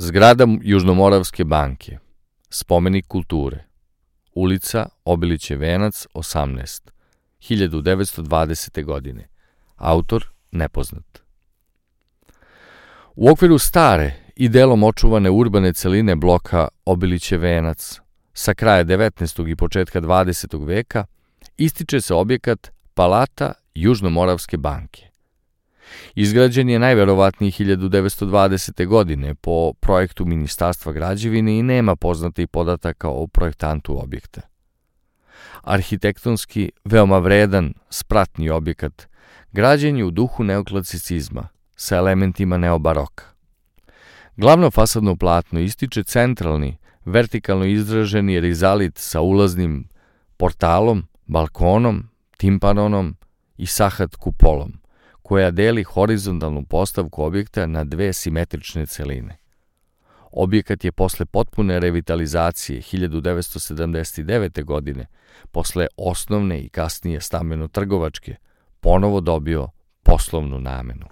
Zgrada Južnomoravske banke, spomenik kulture, ulica Obilićev venac 18, 1920. godine, autor nepoznat. U okviru stare i delom očuvane urbane celine bloka Obilićev venac, sa kraja 19. i početka 20. veka, ističe se objekat Palata Južnomoravske banke. Izgrađen je najverovatnije 1920. godine po projektu Ministarstva građevine i nema poznatih podataka o projektantu objekta. Arhitektonski veoma vredan, spratni objekat, građen je u duhu neoklasicizma, sa elementima neobaroka. Glavno fasadno platno ističe centralni, vertikalno izraženi rizalit sa ulaznim portalom, balkonom, timpanonom i sahat kupolom, koja deli horizontalnu postavku objekta na dve simetrične celine. Objekat je posle potpune revitalizacije 1979. godine, posle osnovne i kasnije stambeno-trgovačke, ponovo dobio poslovnu namenu.